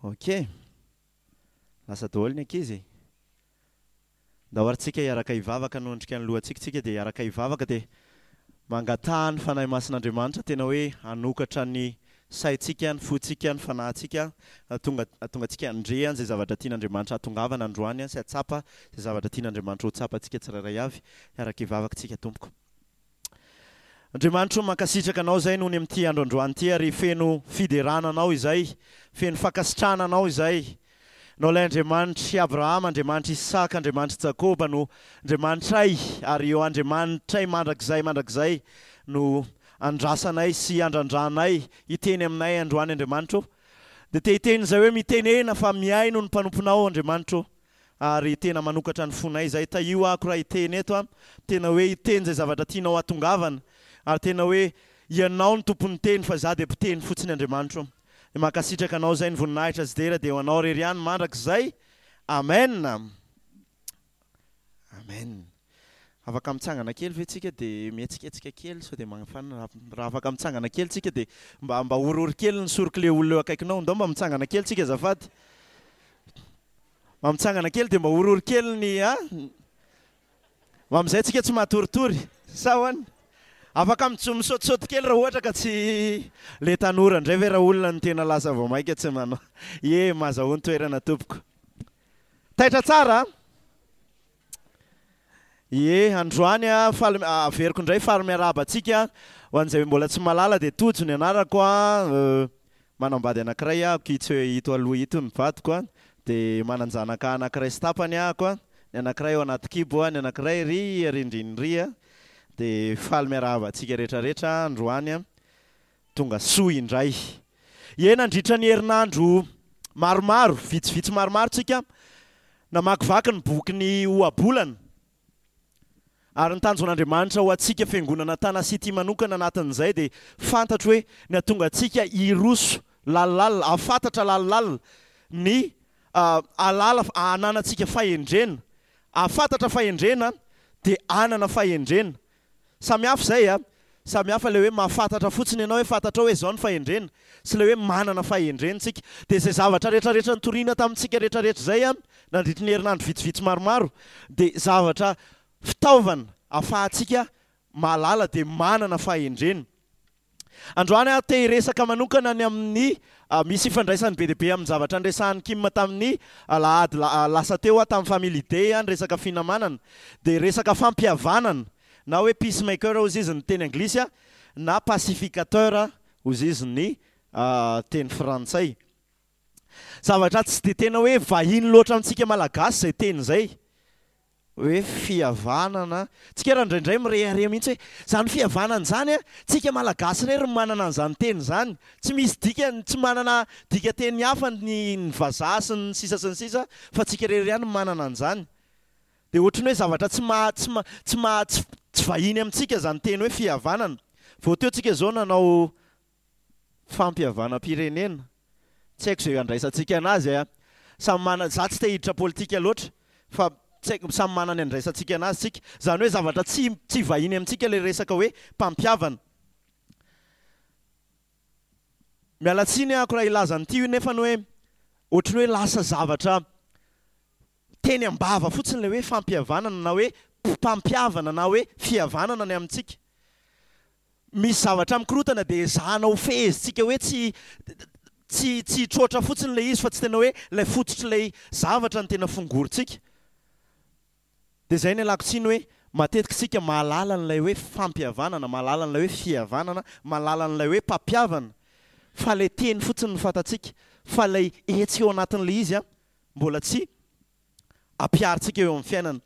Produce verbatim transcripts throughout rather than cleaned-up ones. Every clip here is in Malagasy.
Ok. Lasa daholo ny ankizy. Ndao ary tsika hiaraka hivavaka hanondrika ny lohantsika tsika dia hiaraka hivavaka dia mangataha ny Fanahy Masin'Andriamanitra tena hoe hanokatra ny saintsika, ny fontsika, ny fanahintsika hahatonga hahatonga antsika handre an'izay zavatra tian'Andriamanitra hahatongavana androany sy hahatsapa izay zavatra tian'Andriamanitra ho tsapantsika tsirairay avy. Hiaraka hivavaka tsika tompoko. Andriamanitro o mankasitraka anao izay noho ny amin'ity andro androany ity ary feno fiderana anao izay, feno fankasitrahana anao izay. Ianao ilay Andriamanitr'i Abrahama, Andriamanitr'i Isaka, Andriamanitr'i Jakoba no Andriamanitray ary eo Andriamanitray mandrakizay mandrakizay no andrasanay sy andrandranay hiteny aminay androany Andriamanitro o. Dia te hiteny izay hoe mitenena fa mihaino ny mpanomponao Andriamanitro o. Ary tena manokatra ny fonay izay. Tahio ako raha hiteny eto an. Tena hoe hiteny izay zavatra tianao hatongavana. Ary tena hoe Ianao no tompon'ny teny fa izaho dia mpiteny fotsiny Andriamanitro o. Dia mankasitraka Anao izay, ny voninahitra sy dera dia ho Anao irery ihany mandrakizay. Amen. Amen. Afaka mitsangana kely ve tsika dia mihetsiketsika kely sao dia mafanina raha afaka mitsangana kely tsika dia mba mba oriory kely ny sorok'ilay olona eo akaikinao. Ndao mba mitsangana kely tsika azafady. Mba mitsangana kely dia mba oriory kely ny a mba amin'izay tsika tsy matoritory. Sa ahoana? Afaka misaotisaoty kely raha ohatra ka tsy le tanora indray ve raolona no tena lasa vao maika tsy manao. Ie, mazahoa ny toerana tompoko. Taitra tsara a! Ie, androany a, faly averiko indray faly miarahaba antsika. Ho an'izay mbola tsy mahalala dia Tojo ny anarako a, manambady anankiray aho, itsy ito aloha ito ny vadiko a, dia manan-janaka anankiray sy tapany ahako a, ny anankiray ao anaty kibo a, ny anankiray ry arindriny ry a, dia faly miarahaba antsika rehetrarehetra androany a. Tonga soa indray. Ie, nandritra ny herinandro maromaro, vitsivitsy maromaro tsika namakivaky ny bokin'ny Ohabolana. Ary ny tanjon'Andriamanitra ho antsika fiangonana Tana City manokana anatin'izay dia fantatro hoe ny hahatonga antsika hiroso lalilala, hahafantatra lalilala ny hahalala hananantsika fahendrena. Hahafantatra fahendrena dia hanana fahendrena. Samy hafa izay a! Samy hafa ilay hoe mahafantatra fotsiny ianao hoe fantatrao hoe izao ny fahendrena sy ilay hoe manana fahendrena isika. Dia izay zavatra rehetrarehetra nitoriana tamintsika rehetrarehetra izay a, nandritry ny herinandro vitsivitsy maromaro dia zavatra fitaovana ahafahantsika mahalala dia manana fahendrena. Androany aho te hiresaka manokana ny amin'ny misy ifandraisany be dia be amin'ny zavatra niresahan'i Kim tamin'ny alahady lasa teo aho tamin'ny Family Day ny resaka finamanana dia resaka fampihavanana na hoe peacemaker hozy izy ny teny anglisy na pacificateur hozy izy ny teny frantsay. Zavatra tsy dia tena hoe vahiny loatra amintsika Malagasy izay teny izay. Hoe fihavanana, tsika raha indraindray mirehareha mihitsy hoe izany fihavanana izany an, tsika Malagasy irery no manana an'izany teny izany, tsy misy dikany, tsy manana dikanteny hafa ny ny vazaha sy ny sisa sy ny sisa fa tsika irery ihany no manana an'izany. Dia ohatran'ny hoe zavatra tsy maha tsy maha tsy maha tsy vahiny amintsika izany teny hoe fihavanana. Vao teo tsika izao nanao fampihavanam-pirenena, tsy haiko izay andraisantsika anazy a! Samy manana, za tsy te hiditra politika loatra fa tsy haiko, samy manana ny andraisantsika anazy tsika, izany hoe zavatra tsy tsy vahiny amintsika ilay resaka hoe mpampihavana. Miala tsiny ahako raha hilaza an'ity nefany hoe ohatran'ny hoe lasa zavatra teny am-bava fotsiny ilay hoe fampihavanana na hoe mpampihavana na hoe fihavanana ny amintsika. Misy zavatra mikorotana dia ezahana ho fehezintsika hoe tsy tsy tsy hitroatra fotsiny ilay izy fa tsy tena hoe ilay fototr'ilay zavatra no tena fongorintsika. Dia izay no ialako tsiny hoe matetika isika mahalala an'ilay hoe fampihavanana, mahalala an'ilay hoe fihavanana, mahalala an'ilay hoe mpampihavana fa ilay teny fotsiny no fantatsika fa ilay hetsika ao anatin'ilay izy mbola tsy ampiharintsika eo amin'ny fiainana.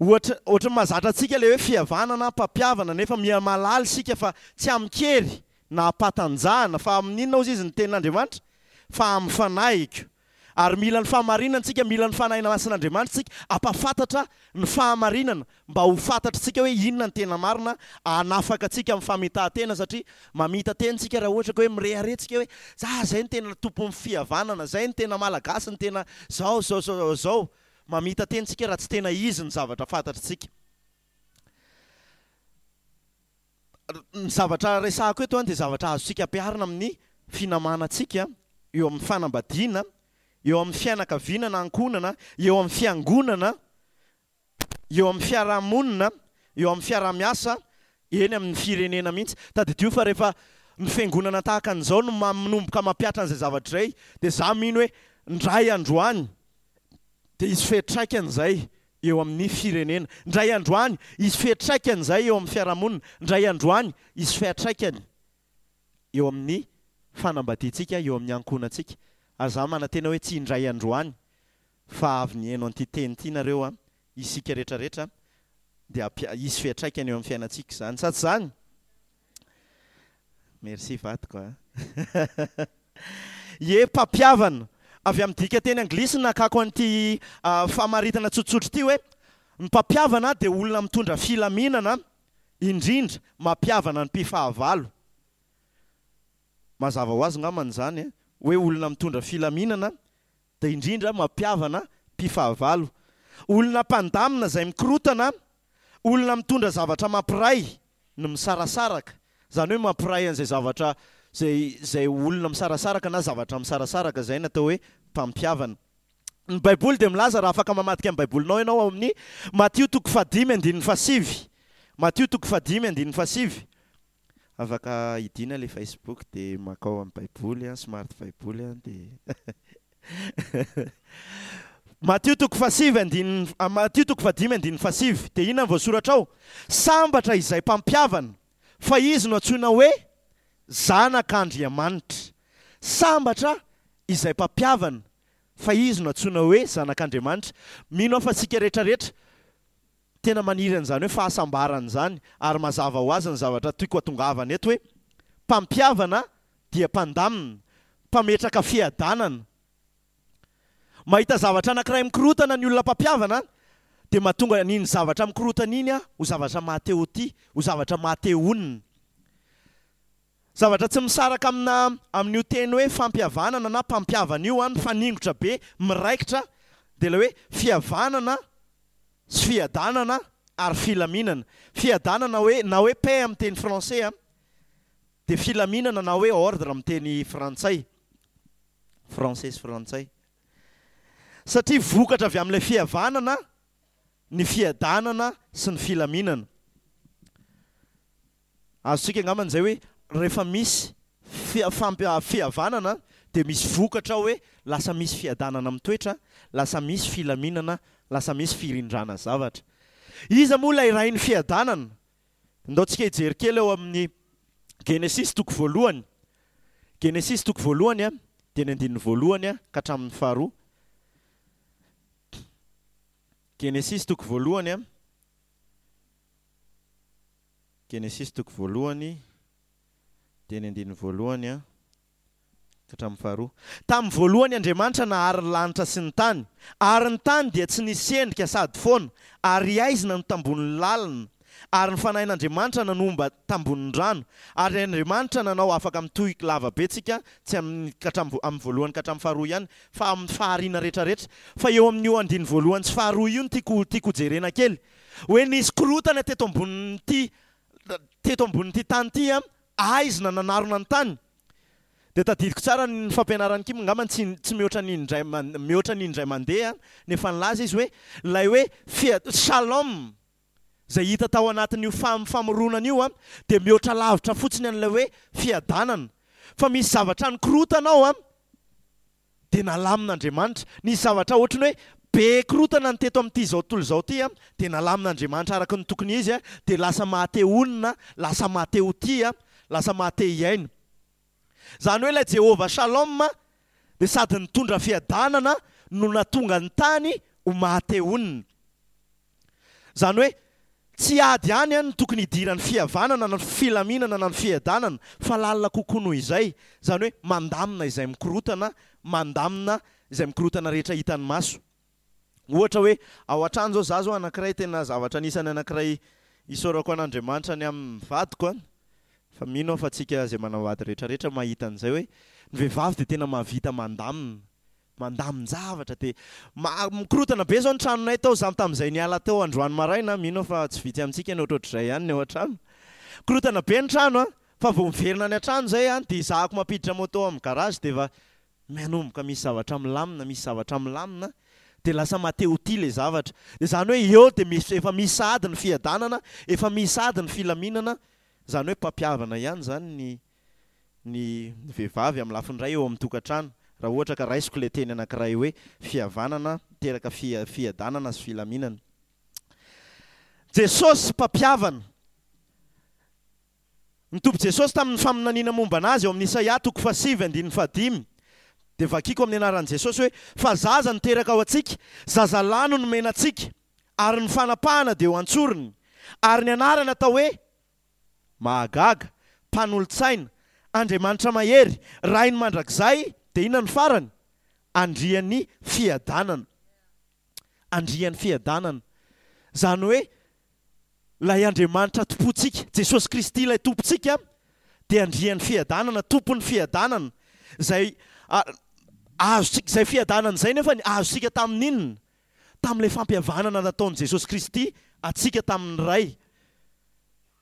Ohatra, ohatry ny mahazatra antsika ilay hoe fihavanana, mpampihavana, nefa miha mahalala isika fa tsy amin-kery na am-patanjahana, fa amin'inona hozy izy ny tenin'Andriamanitra? Fa amin'ny fanahiko. Ary mila ny fahamarinana isika, mila ny Fanahy Masin'Andriamanitra isika hampahafantatra ny fahamarinana, mba ho fantatr'tsika hoe inona ny tena marina, hanafaka antsika amin'ny famitahan-tena, satria mamita-tena isika raha ohatra ka hoe mirehareha isika hoe za zay no tena tompon'ny fihavanana, zay no tena Malagasy, no tena zao, zao, zao, zao. Mamita teny tsika raha tsy tena izy ny zavatra fantatritsika. Ny zavatra resahako eto dia zavatra azontsika ampiharina amin'ny finamanantsika, eo amin'ny fanambadiana, eo amin'ny fianakaviana na ankohonana, eo amin'ny fiangonana, eo amin'ny fiarahamonina, eo amin'ny fiarahamiasa, eny amin'ny firenena mihitsy. Tadidio fa rehefa ny fiangonana tahaka an'izao no manomboka mampiatra an'izay zavatra izay, dia za mino hoe ndray androany dia hisy fiantraikany izay eo amin'ny firenena, ndray androany hisy fiantraikany izay eo amin'ny fiarahamonina, ndray androany hisy fiantraikany eo amin'ny fanambadiantsika, eo amin'ny ankohonantsika. Ary za manantena hoe tsy indray androany fa avy nihaino an'ity teny ity nareo a, isika rehetrarehetra dia hisy fiantraikany eo amin'ny fiainantsika izany. Sa tsy izany? Merci vadiko a. Ie, mpampihavana. Avy amin'ny dikanteny anglisy no nakako an'ity famaritana tsotsotra ity hoe ny mpampihavana dia olona mitondra filaminana, indrindra mampihavana ny mpifahavalo. Mazava ho azy angambany izany hoe olona mitondra filaminana dia indrindra mampihavana mpifahavalo. Olona mpandamina izay mikorotana, olona mitondra zavatra mampiray ny misarasaraka, izany hoe mampiray an'izay zavatra izay izay olona misarasaraka na zavatra misarasaraka, izay no atao hoe mpampihavana. Ny Baiboly dia milaza, raha afaka mamadika ny Baibolinao ianao ao amin'ny Matio toko fahadimy andininy fahasivy. Matio toko fahadimy andininy fahasivy. Afaka idina ilay Facebook dia makao amin'ny Baiboly, smart Baiboly dia Matio toko fahasivy andininy Matio toko fahadimy andininy fahasivy dia inona no voasoratra ao? Sambatra izay mpampihavana, fa izy no antsoina hoe zanak'Andriamanitra. Sambatra izay mpampihavana, fa izy no antsoina hoe zanak'Andriamanitra. Mino aho fa isika rehetrarehetra tena maniry an'izany hoe fahasambarana izany, ary mazava ho azy ny zavatra tiako hatongavana eto hoe mpampihavana dia mpandamina, mpametraka fiadanana. Mahita zavatra anankiray mikorotana ny olona mpampihavana dia mahatonga an'iny zavatra mikorotana iny ho zavatra maha-te-ho-tia, ho zavatra maha-te-honina. Zavatra tsy misaraka amina amin'io teny hoe fampihavanana na mpampihavana io, mifaningotra be, miraikitra, dia ilay hoe fihavanana sy fiadanana ary filaminana. Fiadanana hoe na hoe paix amin'ny teny français, dia filaminana na hoe ordre amin'ny teny frantsay. Français sy frantsay. Satria vokatra avy amin'ilay fihavanana ny fiadanana sy ny filaminana. Azontsika angambany izay hoe rehefa misy fihavanana dia misy vokatra ao hoe lasa misy fiadanana mitoetra, lasa misy filaminana, lasa misy firindrana zavatra. Iza moa ilay rain'ny fiadanana? Ndao tsika hijery kely ao amin'ny Genesisy toko voalohany. Genesisy toko voalohany dia ny andininy voalohany ka hatramin'ny faharoa. Genesisy toko voalohany. Genesisy toko voalohany dia ny andininy voalohany ka hatramin'ny faharoa. Tamin'ny voalohany Andriamanitra nahary ny lanitra sy ny tany, ary ny tany dia tsy nisy endrika sady foana, ary haizina no tambonin'ny lalina, ary ny fanahin'Andriamanitra nanomba tambonin'ny rano, ary Andriamanitra nanao afaka mitohy lava be tsika, tsy amin'ny ka hatramin'ny amin'ny voalohany ka hatramin'ny faharoa ihany, fa amin'ny fahariana rehetrarehetra. Fa eo amin'io andininy voalohany sy faharoa io no tiako tiako hojerena kely. Hoe nisy korotana teto ambonin'ity teto ambonin'ity tany ity, haizina nanarona ny tany. Dia tadidiko tsara ny fampianaran'i Kim, angamba tsy tsy mihoatra ny indray mihoatra ny indray mandeha nefa nilaza izy hoe ilay hoe fia shalom izay hita tao anatin'io fam famoronana io dia mihoatra lavitra fotsiny an'ilay hoe fiadanana fa misy zavatra nikorotana ao an dia nalamin'Andriamanitra. Nisy zavatra ohatran'ny hoe be korotana ny teto amin'ity izao tontolo izao ity dia nalamin'Andriamanitra araka ny tokony izy dia lasa maha-te honina, lasa maha-te ho tia, lasa maha-te hiaina. Izany hoe ilay Jehovah Shalom dia sady nitondra fiadanana no nahatonga ny tany ho maha-te honina. Izany hoe tsy ady ihany no tokony hidiran'ny fihavanana na ny filaminana na ny fiadanana fa lalina kokoa noho izay. Izany hoe mandamina izay mikorotana, mandamina izay mikorotana rehetra hitan'ny maso. Ohatra hoe ao an-trano izao, za izao anankiray tena zavatra anisan'ny anankiray isaorako an'Andriamanitra ny amin'ny vadiko an, fa mino aho fa tsika izay manambady rehetrarehetra mahita an'izay hoe ny vehivavy dia tena mahavita mandamina, mandamin-javatra dia mikorotana be izao ny tranonay tao, za tamin'izay niala teo androany maraina, mino aho fa tsy vitsy amintsika ny ohatrohatr'izay ihany ny ao an-trano, mikorotana be ny trano an, Fa vao miverina any an-trano izay an, dia ezahako mampiditra moto amin'ny garage dia efa manomboka misy zavatra milamina, misy zavatra milamina, dia lasa maha-te-ho tia ilay zavatra. Dia izany hoe eo dia misy, efa misy sahady ny fiadanana, efa misy sahady ny filaminana, izany hoe mpampihavana ihany izany ny ny vehivavy amin'ny lafiny iray eo amin'ny tokantrano, raha ohatra ka raisiko ilay teny anankiray hoe fihavanana miteraka fiadanana sy filaminana. Jesosy mpampihavana. Ny Tompo Jesosy tamin'ny faminaniana momba an'Azy ao amin'ny Isaia toko fahasivy andininy fahadimy dia vakiko amin'ny anaran'i Jesosy hoe, Fa zaza no teraka ho antsika, zazalahy no nomena antsika, ary ny fanapahana dia ho an-tsorony, ary ny anarany atao hoe, Mahagaga, Mpanolotsaina, Andriamanitra Mahery, Rain'ny Mandrakizay, dia inona no farany? Andrian'ny Fiadanana. Andrian'ny Fiadanana. Izany hoe ilay Andriamanitra tompontsika, Jesosy Kristy ilay Tompontsika, dia Andrian'ny Fiadanana, Tompon'ny Fiadanana, izay azontsika, izay fiadanana izay nefa azontsika tamin'inona? Tamin'ilay fampihavanana nataon'i Jesosy Kristy antsika tamin'ny Ray.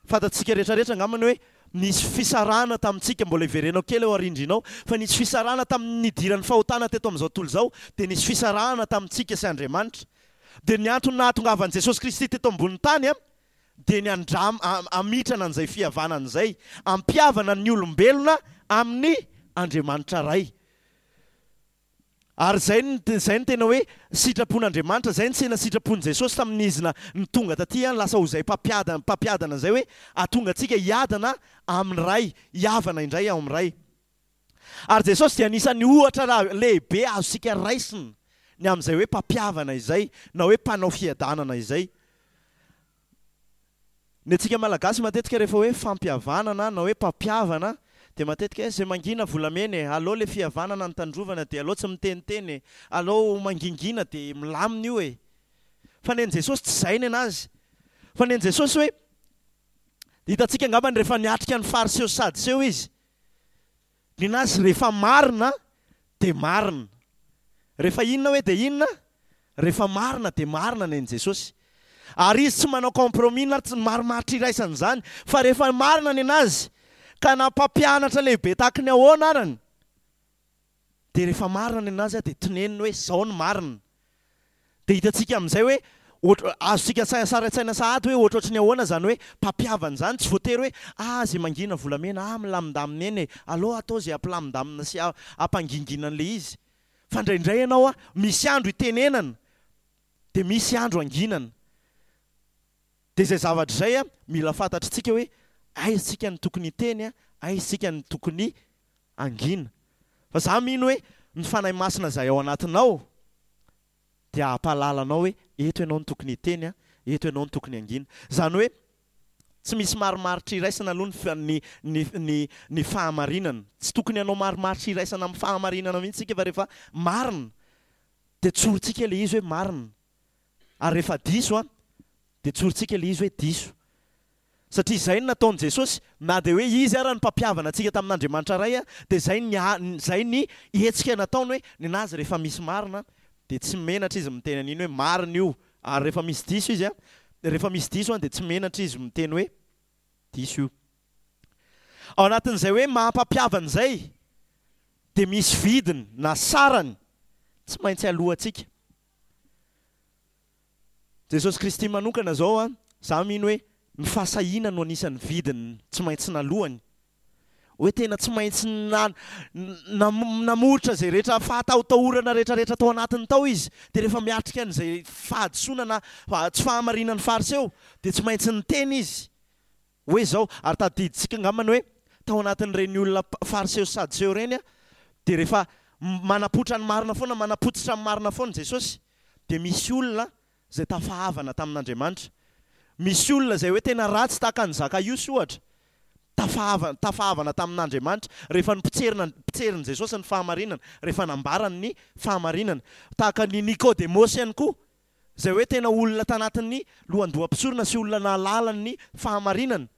Fantatsika rehetrarehetra angamba ny hoe nisy fisarahana tamintsika, mbola hiverenao kely ao arindrina ao, fa nisy fisarahana tamin'ny nidiran'ny fahotana teto amin'izao tontolo izao, dia nisy fisarahana tamintsika sy Andriamanitra. Dia ny antony nahatongavan'i Jesosy Kristy teto ambonin'ny tany dia ny handram, hamitrana an'izay fihavanana izay, hampihavana ny olombelona amin'ny Andriamanitra Ray. Ary izay no, izay no tena hoe sitrapon'Andriamanitra, izay no tena sitrapon'i Jesosy tamin'izy na, ny tonga taty an, lasa ho izay mpampiadana, mpampiadana izay hoe hahatonga antsika hiadana amin'ny Ray, hihavana indray ao amin'ny Ray. Ary Jesosy dia anisan'ny ohatra ra, lehibe azontsika raisina ny amin'izay hoe mpampihavana izay, na hoe mpanao fiadanana izay. Ny antsika Malagasy matetika rehefa hoe fampihavanana na hoe mpampihavana dia matetika hoe izay mangina volamena e, aleo le fihavanana no tandrovana dia aleo tsy miteniteny e, aleo mangingina dia milamina io e. Fa ny an'i Jesosy tsy izay ny anazy. Fa ny an'i Jesosy hoe, hitantsika angambany rehefa niatrika ny Fariseo sy Sadiseo izy, ny anazy rehefa marina dia marina. Rehefa inona hoe dia inona? Rehefa marina dia marina ny an'i Jesosy. Ary izy tsy manao compromis na tsy marimaritra iraisana izany fa rehefa marina ny anazy ka na mpampianatra lehibe tahaky ny ahoana arany dia rehefa marina ny anazy dia teneniny hoe izao ny marina. Dia hitantsika amin'izay hoe ohatr- azontsika an-tsaina sary an-tsaina sahady hoe ohatrohatry ny ahoana izany hoe mpampihavana izany, tsy voatery hoe ah izay mangina volamena, ah milamindamina eny e, aleo atao izay hampilamindamina sy hampangingina an'ilay izy. Fa indraindray ianao a, misy andro itenenana, dia misy andro anginana. Dia izay zavatra izay a, mila fantatritsika hoe aiza isika no tokony hiteny a, aiza isika no tokony hangina. Fa za mino hoe ny Fanahy Masina izay ao anatinao dia hampahalala anao hoe eto ianao no tokony hiteny a, eto ianao no tokony hangina. Izany hoe tsy misy marimaritra iraisana aloha ny ny ny ny fahamarinana. Tsy tokony hanao marimaritra iraisana amin'ny fahamarinana mihitsy isika fa rehefa marina dia tsorintsika ilay izy hoe marina. Ary rehefa diso an, dia tsorintsika ilay izy hoe diso. Satria izay no nataon'i Jesosy, na dia hoe Izy ara no mpampihavana antsika tamin'Andriamanitra Ray, dia izay ny izay ny hetsika nataony hoe nenazy rehefa misy marina dia tsy menatra izy miteny an'iny hoe marina io, ary rehefa misy diso izy an, rehefa misy diso an dia tsy menatra izy miteny hoe diso io. Ao anatin'izay hoe maha mpampihavana izay dia misy vidiny na sarany tsy maintsy aloantsika. Jesosy Kristy manokana izao an, za mino hoe ny fahasahiana no anisan'ny vidiny tsy maintsy nalohany. Hoe tena tsy maintsy namoritra izay rehetra fahatahotahorana rehetra rehetra tao anatiny tao izy. Dia rehefa miatrika an'izay fahadisoana na tsy fahamarinan'ny Fariseo dia tsy maintsy niteny izy hoe izao. Ary tadidintsika angamba ny hoe tao anatin'ireny olona Fariseo sy Sadoseo ireny dia rehefa manapoitra ny marina foana, manapotsitra ny marina foana Jesosy dia misy olona izay tafahavana tamin'Andriamanitra. Misy olona izay hoe tena ratsy tahaka an'i Zakaiosy ohatra, tafahavana, tafahavana tamin'Andriamanitra rehefa nopotserina, potserin'i Jesosy ny fahamarinana, rehefa nambarany ny fahamarinana. Tahaka an'i Nikodemosy ihany koa, izay hoe tena olona tanatin'ny lohandoham-pisorona sy olona nahalala ny fahamarinana,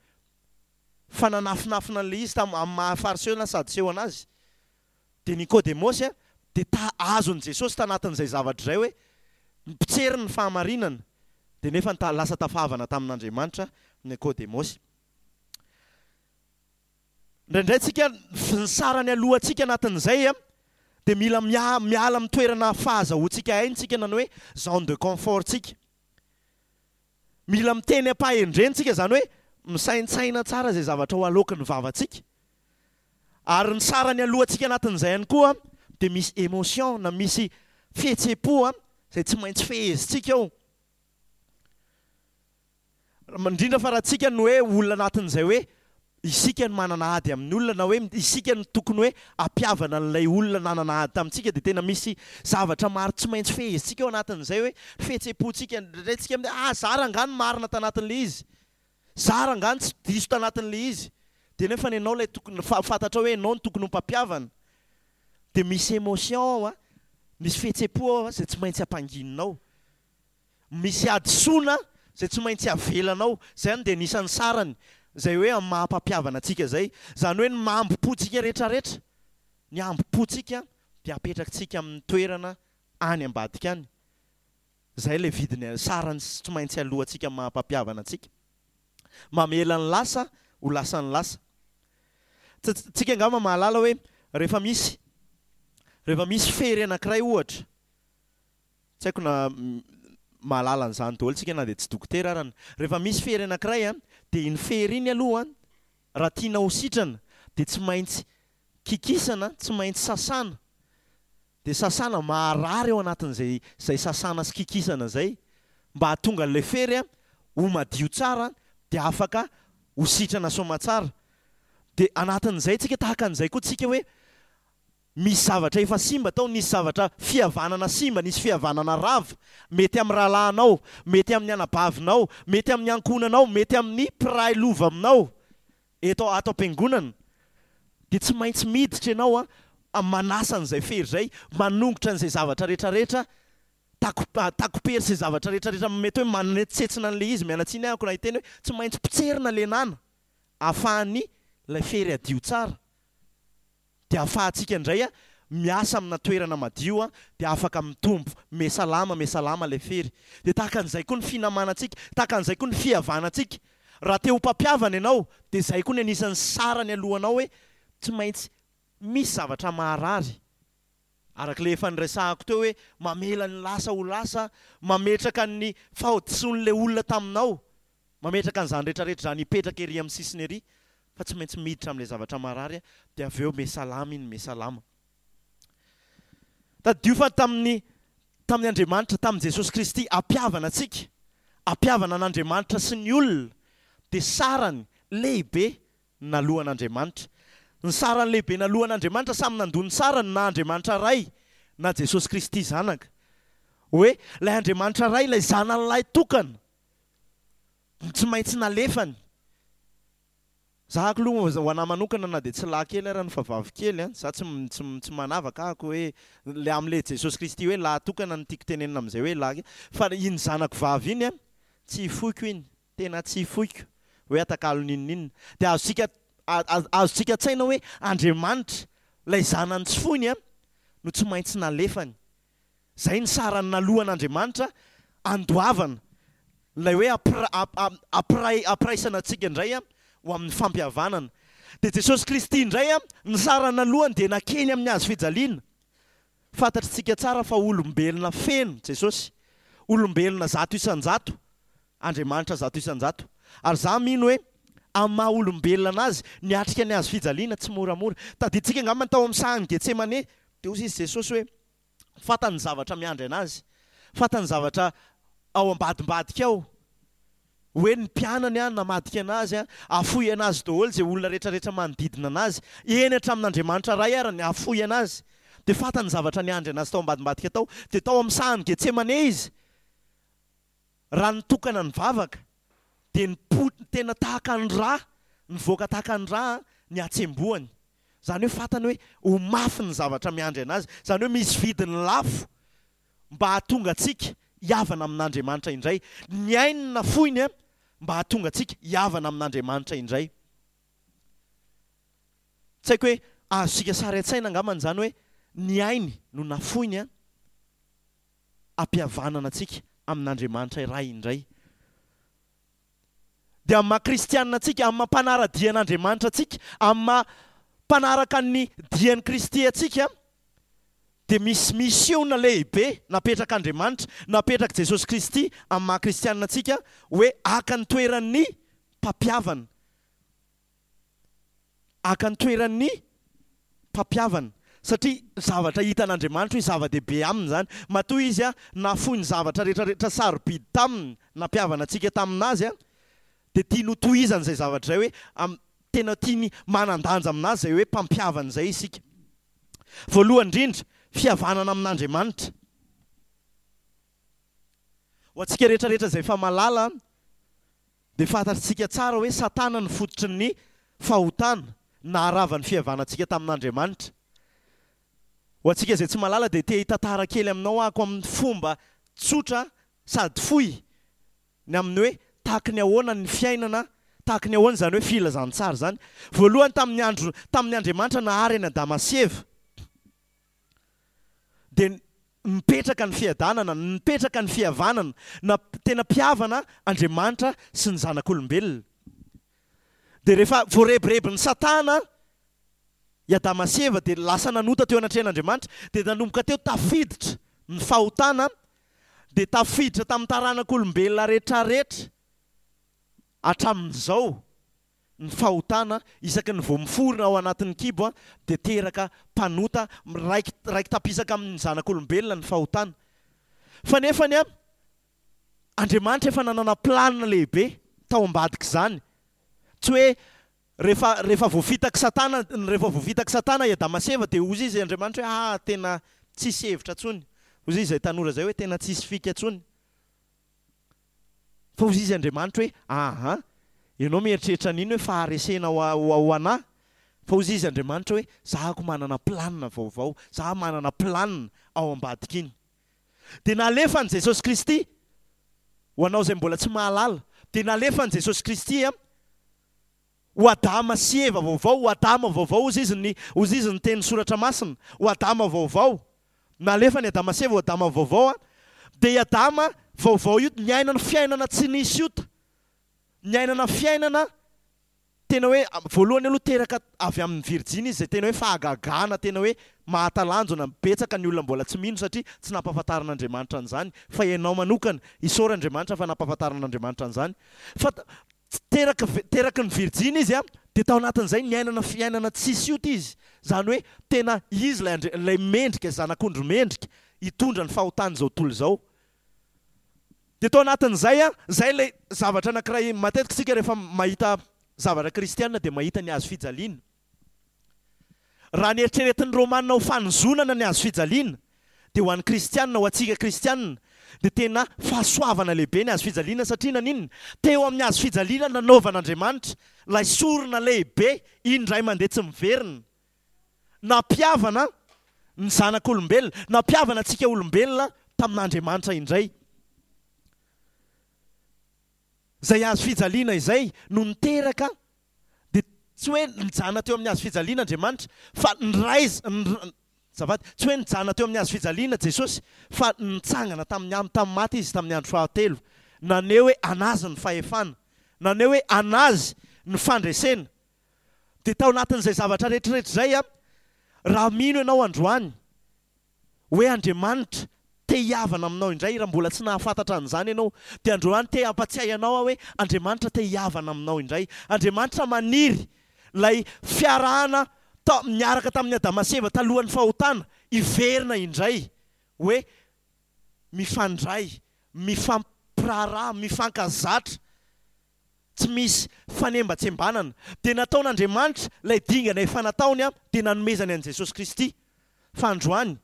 fa nanafinafina an'ilay izy tam, amin'ny maha Fariseo na Sadoseo an'azy. Dia Nikodemosy dia ta azon'i Jesosy tanatin'izay zavatra izay hoe mpitsery ny fahamarinana, dia nefa ta lasa tafahavana tamin'Andriamanitra Nikodemosy. Indraindray tsika ny sarany alohantsika anatin'izay a dia mila mia- miala amin'ny toerana fahazahoantsika aina tsika, na ny hoe zone de confort tsika. Mila miteny am-pahendrena tsika, zany hoe misaintsaina tsara izay zavatra ho aloaky ny vavantsika. Ary ny sarany alohantsika anatin'izay ihany koa dia misy émotion na misy fihetseham-po a izay tsy maintsy fehezintsika ao. Indrindra fa raha tsika no hoe olona anatin'izay hoe isika no manana ady amin'ny olona, na hoe isika no tokony hoe ampiavana an'ilay olona nanana ady tamintsika, dia tena misy zavatra maro tsy maintsy fehezintsika ao anatin'izay hoe fihetseham-pontsika. Indraindray tsika amin'ny ah za rangahy no marina tanatin'ilay izy, za rangahy no tsy diso tanatin'ilay izy, dia nefa ny ianao ilay tokony fa- fantatrao hoe ianao no tokony ho mpampiavana, dia misy émotion ao a, misy fihetseham-po ao a izay tsy maintsy ampangininao, misy hadisoana izay tsy maintsy avelanao. Izay dia anisan'ny sarany izay hoe amin'ny maha-mpampiavana antsika izay. Izany hoe ny mahambom-pontsika rehetrarehetra, ny hambom-pontsika dia apetrakitsika amin'ny toerana any ambadika any. Izay ilay vidiny sarany tsy maintsy alohantsika amin'ny maha-mpampiavana antsika. Mamela ny lasa ho lasan'ny lasa. Tsika angamba mahalala hoe rehefa misy rehefa misy fery anankiray ohatra, tsy haiko na mahalala an'izany daholo tsika na dia tsy dokotera arany. Rehefa misy fery anankiray a, dia iny fery iny aloha raha tiana ho sitrana dia tsy maintsy kikisana, tsy maintsy sasana. Dia sasana maharary ao anatin'izay izay sasana sy kikisana izay mba hahatonga an'ilay fery a ho madio tsara, dia afaka ho sitrana soamatsara. Dia anatin'izay tsika tahaka an'izay koa tsika hoe misy zavatra efa simba tao, nisy zavatra fihavanana simba, nisy fihavanana rava, mety amin'ny rahalahinao, mety amin'ny anabavinao, mety amin'ny ankohonanao, mety amin'ny mpiray lova aminao eto ato am-piangonana, dia tsy maintsy miditra ianao a manasa an'izay fery izay, manongotra an'izay zavatra rehetrarehetra, tako- takopery sy zavatra rehetrarehetra mety hoe manetsetsina an'ilay izy. Miala tsiny ahako raha hiteny hoe tsy maintsy potserina ilay nana ahafahan'ny ilay fery hadio tsara, dia ahafahantsika indray a miasa amina toerana madio a, dia afaka mitombo mesalama mesalama ilay fery. Dia tahaka an'izay koa ny finamanantsika, tahaka an'izay koa ny fihavanantsika. Raha te ho mpampihavana ianao dia izay koa ny anisan'ny sarany alohanao hoe tsy maintsy misy zavatra maharary. Araka ilay efa niresahako teo hoe mamela ny lasa ho lasa, mametraka ny fahadisoan'ilay olona taminao, mametraka an'izany rehetrarehetra izany hipetraka ery amin'ny sisiny ery, fa tsy maintsy miditra amin'ilay zavatra marary, dia avy eo mesalama iny mesalama. Tadidio fa tamin'ny tamin'ny Andriamanitra, tamin'i Jesosy Kristy ampihavana antsika, ampihavana an'Andriamanitra sy ny olona, dia sarany lehibe naloan'Andriamanitra. Ny sarany lehibe naloan'Andriamanitra, samy nandoa ny sarany na Andriamanitra Ray na Jesosy Kristy Zanaka. Hoe ilay Andriamanitra Ray, ilay zanany lahy tokana, tsy maintsy nalefany. Za aloha ho anahy manokana na dia tsy lahy kely ary no fa vavy kely a, za tsy tsy tsy manavaka ahako hoe le amin'ilay Jesosy Kristy hoe lahy tokana no tiako tenenina amin'izay hoe lahy, fa iny zanako vavy iny a tsy foiko iny, tena tsy foiko hoe atakalo n'inon'inona. Dia azontsika azontsika an-tsaina hoe Andriamanitra ilay zanany tsy foiny a no tsy maintsy nalefany. Izay ny sarany naloan'Andriamanitra andoavana ilay hoe ampira- ampiray ampiraisana antsika indray a ho amin'ny fampihavanana. Dia Jesosy Kristy indray a ny sarany nalohany dia nakeny amin'ny hazo fijaliana. Fantatritsika tsara fa olombelona feno Jesosy, olombelona zato isan-jato, Andriamanitra zato isan-jato. Ary za mino hoe amin'ny maha olombelona anazy niatrika ny hazo fijaliana tsy moramora. Tadidintsika angamba ny tao amin'ny sahan'i Getsemane, dia hoy izy Jesosy hoe fantany ny zavatra miandry anazy, fantany ny zavatra ao ambadimbadika ao, hoe ny mpianany a namadika anazy a, afoy anazy daholo izay olona rehetrarehetra manodidina anazy, eny hatramin'Andriamanitra Ray ary ny afoy anazy. Dia fantany ny zavatra niandry anazy tao ambadimbadika tao. Dia tao amin'ny sahan'i Getsemane izy, raha nitokana nivavaka, dia nipo tena tahaka ny rà, nivoaka tahaka ny rà ny hatsembohany. Izany hoe fantany hoe ho mafy ny zavatra miandry anazy, izany hoe misy vidiny lafo mba hahatonga antsika hihavana amin'Andriamanitra indray. Ny ainy nafoiny a mba hahatonga antsika hihavana amin'Andriamanitra indray. Tsy haiko hoe azontsika sary an-tsaina angambany izany hoe ny ainy no nafoiny a hampihavanana antsika amin'Andriamanitra iray indray. Dia amin'ny maha kristianina antsika, amin'ny maha mpanara-dia an'Andriamanitra antsika, amin'ny maha mpanaraka ny dian'i Kristy antsika, dia misy misiona lehibe napetrak'Andriamanitra, napetrak'i Jesosy Kristy amin'ny maha kristianina antsika, hoe haka ny toeran'ny mpampihavana. Haka ny toeran'ny mpampihavana. Satria zavatra hitan'Andriamanitra hoe zava-dehibe aminy izany. Matoa izy nahafoy ny zavatra rehetrarehetra sarobidy taminy, nampihavana antsika tamin'azy, dia tiany ho tohizana izay zavatra izay hoe am-, tena tiany manan-danja aminazy izay hoe mpampihavana izay isika. Voalohany indrindra, fihavanana amin'Andriamanitra. Ho antsika rehetrarehetra izay efa malala, dia fantatsika tsara hoe Satana no fototry ny fahotana naharava ny fihavanantsika tamin'Andriamanitra. Ho antsika izay tsy malala dia te hitantara kely aminao aho amin'ny fomba tsotra sady fohy ny amin'ny hoe tahaky ny ahoana ny fiainana, tahaky ny ahoana izany hoe filazantsara izany. Voalohany tamin'ny andro, tamin'ny Andriamanitra nahary an'i Adama sy Eva, dia mipetraka ny fiadanana, mipetraka ny fihavanana, na tena mpihavana Andriamanitra sy ny zanak'olombelona. Dia rehefa voarebirebin'i Satana i Adama sy Eva dia lasa nanota teo anatrehan'Andriamanitra, dia nanomboka teo tafiditra ny fahotana, dia tafiditra tamin'ny taranak'olombelona rehetrarehetra hatramin'izao ny fahotana. Isaky ny vao miforona ao anatin'ny kibo dia teraka mpanota, raiki-, raiki-tapisaka amin'ny zanak'olombelona ny fahotana. Fa nefany a, Andriamanitra efa nanana planina lehibe tao ambadik'izany. Tsy hoe rehefa, rehefa voafitak'i Satana, rehefa voafitak'i Satana i Adama sy Eva dia hozy izy Andriamanitra hoe ah, tena tsisy hevitra intsony. Hozy izy izay tanora izay hoe tena tsisy fika intsony. Fa hozy izy Andriamanitra hoe aha, ianao mieritreritra an'iny hoe faharesena ho a-, ho anahy. Fa hozy izy Andriamanitra hoe za ko manana planina vaovao, za manana planina ao ambadik'iny. Dia nalefan'i Jesosy Kristy, ho anao izay mbola tsy mahalala, dia nalefan'i Jesosy Kristy a, ho Adama sy Eva vaovao, ho Adama vaovao hozy izy ny, hozy izy ny teny soratra masina, ho Adama vaovao. Nalefany Adama sy Eva ho Adama vaovao a, dia i Adama vaovao io niaina ny fiainana tsy nisy ota, niainana fiainana tena hoe voalohany aloha teraka avy amin'ny virjiny izy, izay tena hoe fahagagana, tena hoe mahatalanjona, betsaka ny olona mbola tsy mino satria tsy nampahafantarin'Andriamanitra an'izany, fa ianao manokana isaora Andriamanitra fa nampahafantarin'Andriamanitra an'izany. Fa teraka, teraky ny virjiny izy a, dia tao anatin'izay niainana fiainana tsisy ota izy, izany hoe tena izy ilay Andri-, ilay mendrika, zanak'ondry mendrika hitondra ny fahotan'izao tontolo izao. Dia tao anatin'izay a, izay ilay zavatra anankiray matetika isika rehefa mahita zavatra kristiana dia mahita ny hazo fijaliana. Raha nieritreretin'ny Romana ho fanozonana ny hazo fijaliana, dia ho an'ny kristiana, ho antsika kristiana, dia tena fahasoavana lehibe ny hazo fijaliana, satria naninona? Teo amin'ny hazo fijaliana nanaovan'Andriamanitra ilay sorona lehibe indray mandeha tsy miverina, nampihavana ny zanak'olombelona, nampihavana antsika olombelona tamin'Andriamanitra indray. Izay hazo fijaliana izay no niteraka, dia tsy hoe nijanona teo amin'ny hazo fijaliana Andriamanitra, fa niraiz-, nir-, azafady, tsy hoe nijanona teo amin'ny hazo fijaliana Jesosy, fa nitsangana tamin'ny am-, tamin'ny maty izy tamin'ny andro fahatelo. Naneho hoe anazy ny fahefana, naneho hoe anazy ny fandresena. Dia tao anatin'izay zavatra rehetrarehetra izay a, raha mino ianao androany hoe Andriamanitra te hihavana aminao indray, raha mbola tsy nahafantatra an'izany ianao, dia androany te hampatsiahy anao aho hoe Andriamanitra te hihavana aminao indray. Andriamanitra maniry ilay fiarahana ta-, niaraka tamin'i Adama sy Eva talohan'ny fahotana hiverina indray, hoe mifandray, mifampiraharaha, mifankazatra, tsy misy fanembatsembanana. Dia nataon'Andriamanitra ilay dingana efa nataony, dia nanomezany an'i Jesosy Kristy. Fa androany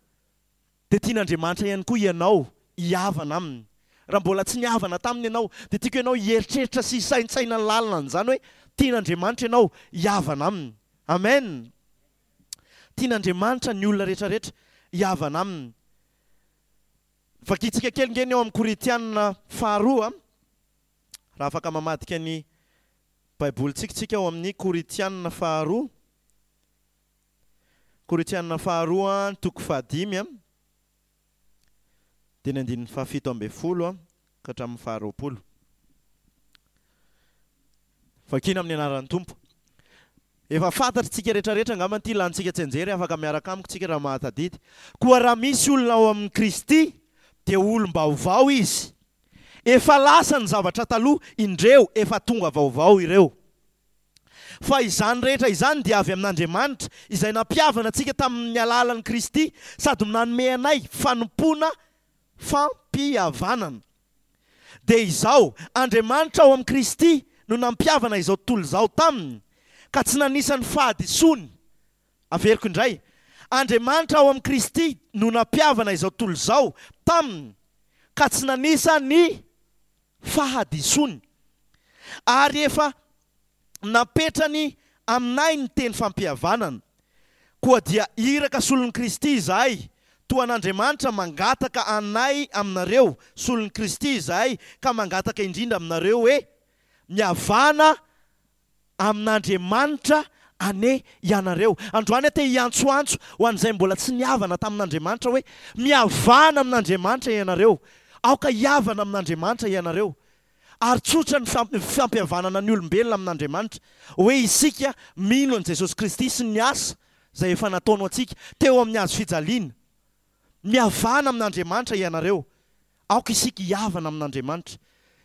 dia tian'Andriamanitra ihany koa ianao hihavana aminy. Raha mbola tsy nihavana taminy ianao, dia tiako ianao hieritreritra sy hisaintsaina ny lalina an'izany hoe tian'Andriamanitra ianao hihavana aminy. Amen. Tian'Andriamanitra ny olona rehetrarehetra hihavana aminy. Vakintsika kely nge ny ao amin'ny Korintianina faharoa, raha afaka mamadika ny Baibolintsika tsika ao amin'ny Korintianina faharoa. Korintianina faharoa, toko fahadimy, dia ny andininy fahafito ambin'ny folo ka hatramin'ny faharoapolo. Vakina amin'ny anaran'ny Tompo. Efa fantatritsika rehetrarehetra angamba ity, lanintsika tsianjery, afaka miaraka amiko tsika raha mahatadidy. Koa raha misy olona ao amin'i Kristy dia olom-baovao izy. Efa lasa ny zavatra taloha, indreo efa tonga vaovao ireo. Fa izany rehetra izany dia avy amin'Andriamanitra, izay nampihavana antsika tamin'ny alalan'i Kristy sady nanome anay fanompoana fampihavanana. Dia izao, Andriamanitra ao amin'i Kristy no nampihavana izao tontolo izao taminy, ka tsy nanisa ny fahadisoany. Averiko indray, Andriamanitra ao amin'i Kristy no nampihavana izao tontolo izao taminy, ka tsy nanisa ny fahadisoany. Ary efa napetrany aminay ny teny fampihavanana. Koa dia iraka solon'i Kristy izahay, toa an'Andriamanitra mangataka anay aminareo, solon'i Kristy izahay, ka mangataka indrindra aminareo hoe, mihavana amin'Andriamanitra anie ianareo. Androany aho te hiantsoantso ho an'izay mbola tsy nihavana tamin'Andriamanitra hoe, mihavana amin'Andriamanitra ianareo. Aoka hihavana amin'Andriamanitra ianareo. Ary tsotra ny fampihavanana ny olombelona amin'Andriamanitra, hoe isika mino an'i Jesosy Kristy sy ny asa izay efa nataony ho antsika teo amin'ny hazo fijaliana. Mihavana amin'Andriamanitra ianareo. Aoka isika hihavana amin'Andriamanitra.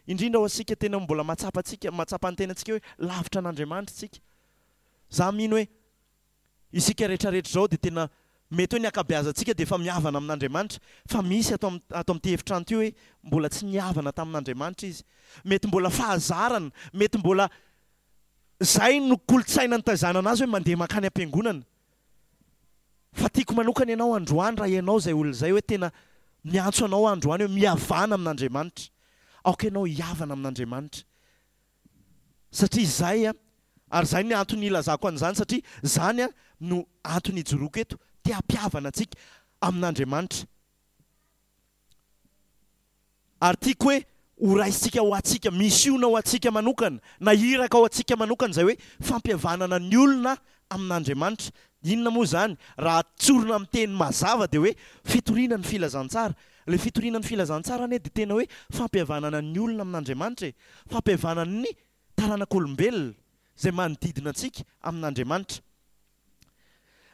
Indrindra ho antsika tena mbola mahatsapa antsika, mahatsapa ny tenantsika hoe lavitra an'Andriamanitra isika. Za mino hoe isika rehetrarehetra izao dia tena mety hoe ny ankabeazantsika dia efa mihavana amin'Andriamanitra, fa misy ato am-, ato amin'ity efitrano ity hoe mbola tsy nihavana tamin'Andriamanitra izy. Mety mbola fahazarana, mety mbola izay no kolontsaina nitaizana anazy hoe mandeha mankany am-piangonana. Fa tiako manokana ianao androany raha ianao izay olona izay hoe tena miantso anao androany hoe mihavana amin'Andriamanitra. Aoka ianao hihavana amin'Andriamanitra. Satria izay, ary izay ny antony ilazako an'izany, satria izany no antony ijoroako eto, te hampihavana antsika amin'Andriamanitra. Ary tiako hoe ho raisintsika ho antsika, misiona ho antsika manokana, na iraka ho antsika manokana izay hoe fampihavanana ny olona amin'Andriamanitra. Inona moa izany? Raha tsorina amin'ny teny mazava dia hoe fitoriana ny filazantsara. Ilay fitoriana ny filazantsara anie dia tena hoe fampihavanana ny olona amin'Andriamanitra e. Fampihavanana ny taranak'olombelona izay manodidina antsika amin'Andriamanitra.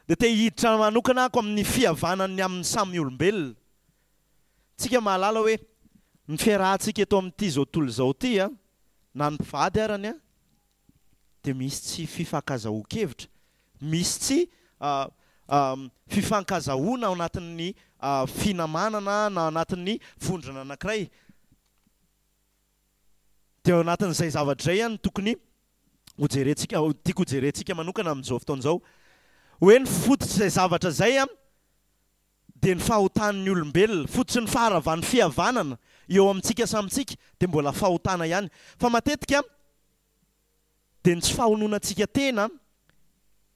Dia te hiditra manokana ako amin'ny fihavanany amin'ny samy olombelona. Tsika mahalala hoe ny fiarahantsika eto amin'ity izao tontolo izao ity, a, na ny mpivady arany, a, dia misy tsy fifankazahoan-kevitra, misy tsy fifankazahoana ao anatin'ny finamanana na anatin'ny vondrona anankiray. Dia ao anatin'izay zavatra izay no tokony hojerentsika, tiako hojerentsika manokana amin'izao fotoana izao, hoe ny fototr'izay zavatra izay a dia ny fahotan'ny olombelona, fototry ny faharavan'ny fihavanana eo amintsika samitsika dia mbola fahotana ihany. Fa matetika dia ny tsy fahononantsika tena,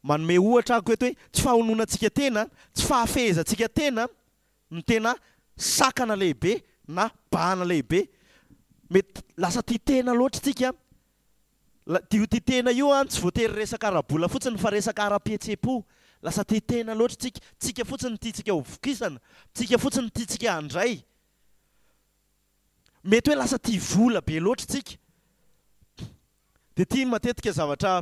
manome ohatra ako eto hoe tsy fahononantsika tena, tsy fahafehezantsika tena no tena sakana lehibe na bahana lehibe. Mety lasa tia tena loatra tsika. Io tia tena io an, tsy voatery resaka ara-bola fotsiny fa resaka ara-pihetseham-po. Lasa tia tena loatra tsika, tsika fotsiny tiantsika ho vokisana, tsika fotsiny tiantsika handray. Mety hoe lasa tia vola be loatra tsika. Dia tia matetika zavatra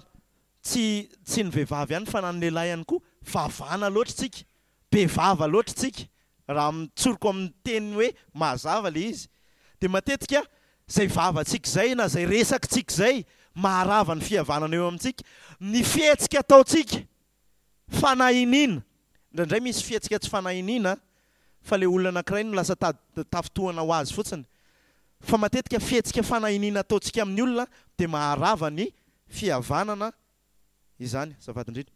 tsy tsy ny vehivavy ihany fa na ny lehilahy ihany koa, vavana loatra tsika, be vava loatra tsika. Raha mitsoriko amin'ny teny hoe mazava ilay izy, dia matetika izay vavantsika izay na izay resakitsika izay maharava ny fihavanana eo amintsika, ny fihetsika ataontsika fanahiniana. Indraindray misy fihetsika tsy fanahiniana fa ilay olona anankiray no lasa tafintohana ho azy fotsiny. Fa matetika fihetsika fanahiniana ataontsika amin'ny olona dia maharava ny fihavanana izany. Azafady indrindra.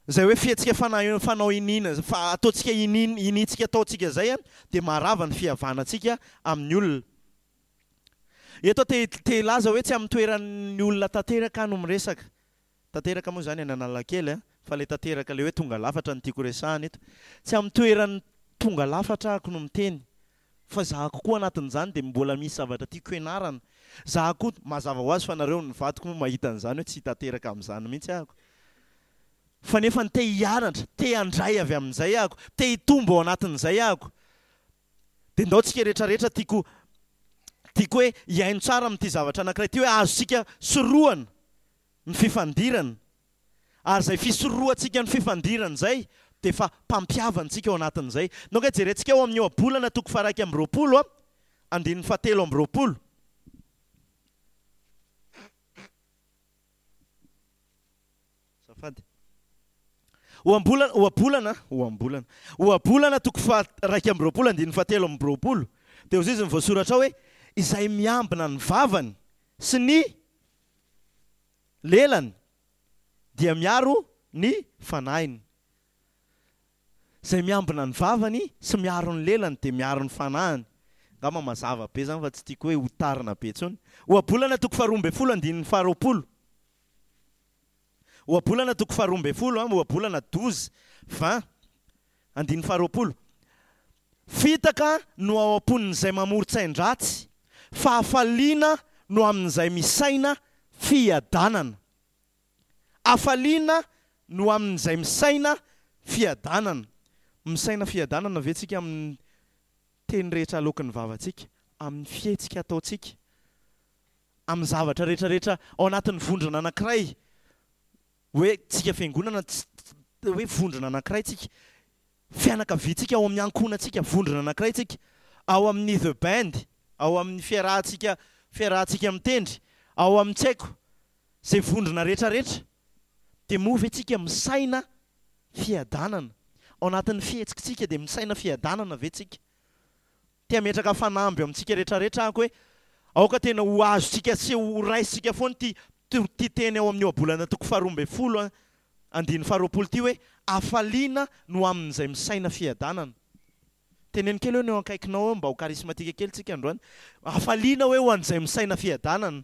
Izay hoe fihetsika fanao iniana, fa ataontsika iniana, iniantsika ataontsika izay dia maharava ny fihavanantsika amin'ny olona. Eto te te hilaza hoe tsy amin'ny toeran'ny olona tanteraka aho no miresaka. Tanteraka moa izany any Analakely, fa ilay tanteraka ilay hoe tonga lafatra no tiako resahana eto. Tsy amin'ny toeran'ny tonga lafatra ahako no miteny, fa zahako koa anatin'izany dia mbola misy zavatra tiako hianarana. Zaho koa, mazava ho azy fa nareo ny vadiko moa mahita an'izany hoe tsy tanteraka amin'izany mihitsy ahako. Fa nefa ny te hianatra, te handray avy amin'izay ahako, te hitombo ao anatin'izay ahako. Dia ndao tsika rehetrarehetra tiako Tiako hoe hihaino tsara amin'ity zavatra anankiray ity hoe azontsika sorohana ny fifandirana. Ary izay fisorohantsika ny fifandirana izay dia efa mpampihavana antsika ao anatin'izay. Donc jerentsika ao amin'ny Ohabolana toko faha-iraika amby roapolo andininy fahatelo amby roapolo. Azafady. Ohabolana, ohabolana, ohabolana. Ohabolana toko faha-iraika amby roapolo andininy fahatelo amby roapolo. Dia hoy izy ny voasoratra ao hoe izay miambina ny vavany sy ny lelany dia miaro ny fanahiny. Izay miambina ny vavany sy miaro ny lelany dia miaro ny fanahiny. Angamba mazava be izany fa tsy tiako hoe hotarina be intsony. Ohabolana toko faharoa ambin'ny folo andininy faharoapolo. Ohabolana toko faharoa ambin'ny folo, ohabolana douze, vingt, andininy faharoapolo. Fitaka no ao am-pon'izay mamoron-tsain-dratsy, fahafaliana no amin'izay misaina fiadanana. Hafaliana no amin'izay misaina fiadanana. Misaina fiadanana ve tsika amin'ny teny rehetra aloaky ny vavantsika, amin'ny fihetsika ataontsika, amin'ny zavatra rehetra rehetra ao anatin'ny vondrona anankiray, hoe tsika fiangonana, hoe vondrona anankiray tsika, fianakaviantsika ao amin'ny ankohonantsika, vondrona anankiray tsika, ao amin'ny The Band, ao amin'ny fiarahantsika, fiarahantsika mitendry, ao amin'ny tsy haiko, izay vondrona rehetra rehetra, dia moa ve tsika misaina fiadanana? Ao anatin'ny fihetsikitsika dia misaina fiadanana ve tsika? Te hametraka fanamby eo amintsika rehetra rehetra aho hoe aoka tena ho azontsika sy ho raisintsika foana ity ity teny ao amin'ny Ohabolana toko faharoa ambin'ny folo andininy faharoapolo ity hoe hafaliana no amin'izay misaina fiadanana. Teneno kely hoe ny eo akaikinao eo mba ho charismatique kely tsika androany. Hafaliana hoe ho an'izay misaina fiadanana.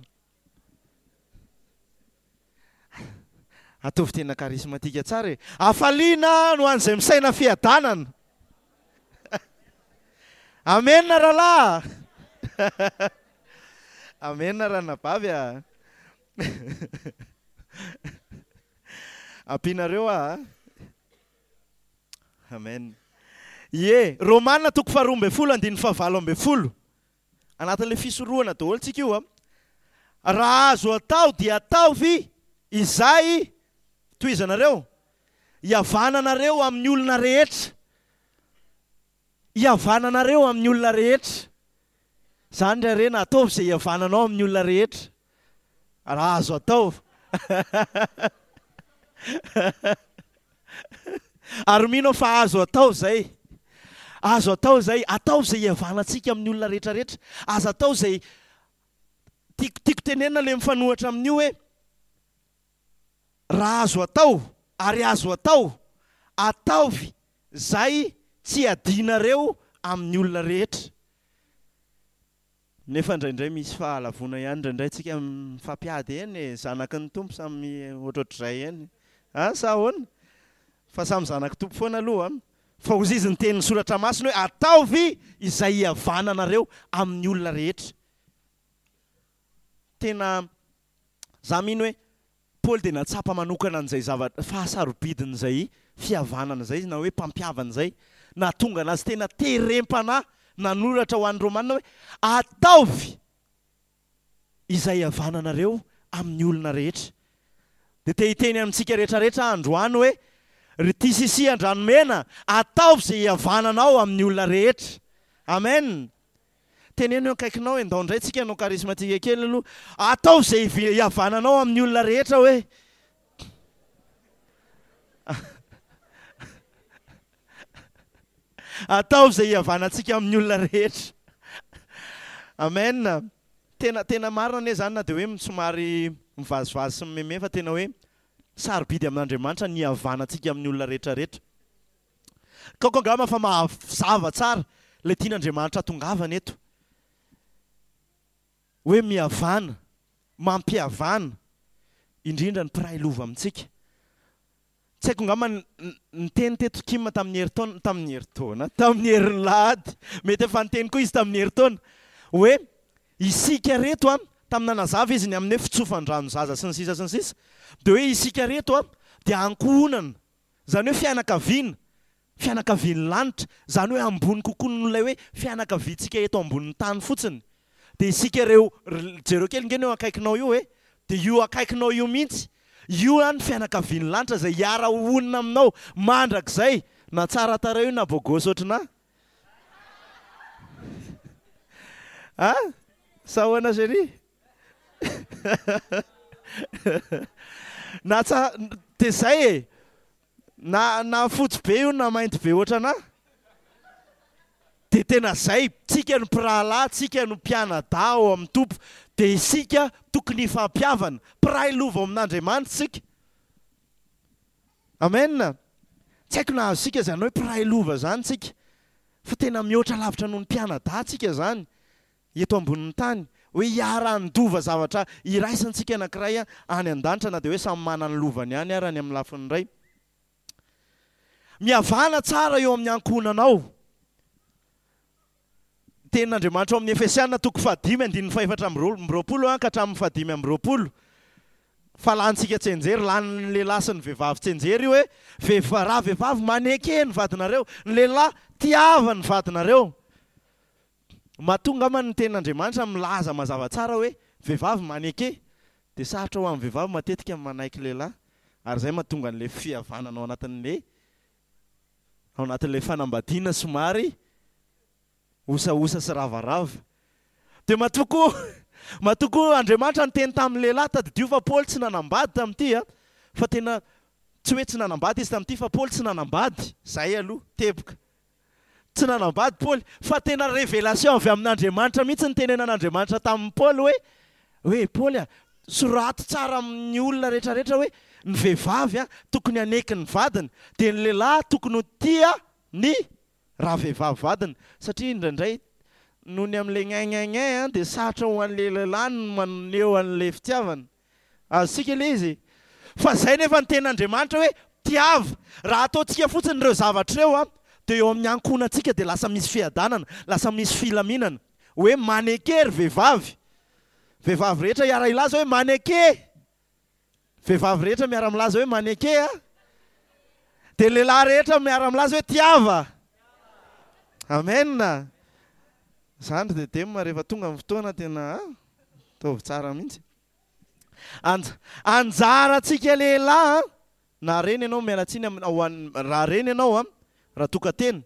Ataovy tena charismatique tsara e. Hafaliana no an'izay misaina fiadanana. Amen rahalahy. Amen ranabavy a. Ampianareo aho. Amen. Ie, Romana toko faharoa ambin'ny folo andininy fahavalo ambin'ny folo. Anatin'ilay fisorohana daholo tsika io a. Raha azo atao dia ataovy izay tohizanareo, hihavananareo amin'ny olona rehetra. Hihavananareo amin'ny olona rehetra. Izany ry harena, ataovy izay hihavananao amin'ny olona rehetra. Raha azo atao. Ary mino aho fa azo atao izay. Azo atao izay. Ataovy izay hihavanantsika amin'ny olona rehetra rehetra. Aza atao izay tiako, tiako tenenina ilay mifanohitra amin'io hoe raha azo atao ary azo atao, ataovy izay tsy hiadianareo amin'ny olona rehetra. Nefa indraindray misy fahalavoana ihany, indraindray tsika mifampiady eny e, zanaky ny Tompo samy ohatrohatr'izay eny. Ah, sa ahoana? Fa samy zanaky Tompo foana aloha. Fa hozy izy niteny ny soratra masina hoe ataovy izay hihavananareo amin'ny olona rehetra. Tena za mino hoe Paoly dia natsapa manokana an'izay zavatra fahasarobidin'izay fihavanana izay izy na hoe mpampihavana izay. Nahatonga anazy tena terem-panahy nanoratra ho an'ny Romana hoe ataovy izay hihavananareo amin'ny olona rehetra. Dia te hiteny amintsika rehetra rehetra aho androany hoe ry T C C Andranomena, ataovy izay hihavananao amin'ny olona rehetra. Amen. Teneno eo akaikinao, endao indray tsika hanao charismatique kely aloha. Ataovy izay hihavananao amin'ny olona rehetra hoe. Ataovy izay hihavanantsika amin'ny olona rehetra. Amen. Tena, tena marina anie izany na dia hoe somary mivazivazy sy mimeme fa tena hoe sarobidy amin'Andriamanitra ny hihavanantsika amin'ny olona rehetra rehetra. Kaoko angamba fa mahazava tsara ilay tian'Andriamanitra hatongavana eto. Hoe mihavana, mampihavana, indrindra ny mpiray lova amintsika. Tsy haiko angamba niteny teto Kim tamin'ny herintaona, tamin'ny herintaona, tamin'ny herin'lahady, mety efa niteny koa izy tamin'ny herintaona, hoe isika reto an, tamin'ny nanazava izy ny amin'ny hoe fitsofan-drano zaza sy ny sisa sy ny sisa, dia hoe isika reto an, dia ankohonana, izany hoe fianakaviana, fianakavian'ny lanitra, izany hoe ambony kokoa noho ilay hoe fianakaviantsika eto ambonin'ny tany fotsiny. Dia isika ireo, jereo kely nge ny eo akaikinao io e, dia io akaikinao io mihitsy, io an ny fianakavian'ny lanitra izay hiara-honina aminao mandrakizay, na tsara tarehy io na bogosy ohatrinà. Ah? Sa ahoana chérie? Na tsa, dia zay e! Na na fotsy be io na mainty be ohatranà. Dia tena zay, tsika no mpirahalahy, tsika no mpianadahy ao amin'ny Tompo, dia isika tokony hifampihavana, mpiray lova ao amin'Andriamanitra isika. Amen! Tsy haiko na azontsika izany hoe mpiray lova izany tsika, fa tena mihoatra lavitra noho ny mpianadahy tsika izany eto ambonin'ny tany, hoe hiara-handova zavatra iraisantsika anankiray any an-danitra na dia hoe samy manana ny lovany ihany ary any amin'ny lafiny iray. Mihavana tsara eo amin'ny ankohonanao. Tenin'Andriamanitra ao amin'ny Efesiana toko fahadimy andininy fahefatra amby roapolo ka hatramin'ny fahadimy amby roapolo. Fa lanintsika tsianjery, lanin'ny lehilahy sy ny vehivavy tsianjery io hoe, vehivavy, raha vehivavy maneke ny vadinareo, ny lehilahy tiava ny vadinareo. Matoa angamba ny tenin'Andriamanitra milaza mazava tsara hoe vehivavy maneke, dia sarotra ho an'ny vehivavy matetika ny manaiky lehilahy, ary izay mahatonga an'ilay fihavanana ao anatin'ilay ao anatin'ilay fanambadiana somary osaosa sy ravarava. Dia matoa koa matoa koa Andriamanitra niteny tamin'ny lehilahy, tadidio fa Paoly tsy nanambady tamin'ity a, fa tena tsy hoe tsy nanambady izy tamin'ity fa Paoly tsy nanambady, zay aloha, teboka. Tsy nanambady Paoly, fa tena révélation avy amin'Andriamanitra mihitsy ny tenenan'Andriamanitra tamin'i Paoly hoe, hoe Paoly a, sorato tsara amin'ny olona rehetrarehetra hoe ny vehivavy a, tokony haneky ny vadiny, dia ny lehilahy tokony ho tia ny raha vehivavy vadiny, satria indraindray noho ny amin'ilay gnin gnin gnin dia sarotra ho an'ilay lehilahy ny maneho an'ilay fitiavana. Azontsika ilay izy. Fa izay nefa ny tenin'Andriamanitra hoe tiava. Raha ataontsika fotsiny ireo zavatra ireo, dia eo amin'ny ankohonantsika dia lasa misy fiadanana, lasa misy filaminana. Hoe maneke ry vehivavy. Vehivavy rehetra hiara-hilaza hoe maneke. Vehivavy rehetra miara-milaza hoe maneke a. Dia lehilahy rehetra miara-milaza hoe tiava. Amen. Zany ry Dedem rehefa tonga ny fotoana tena ataovy tsara mihitsy. Anj- anjarantsika lehilahy na reny ianao, miala tsiny am-, ho an'ny, raha reny ianao a, raha tokantena,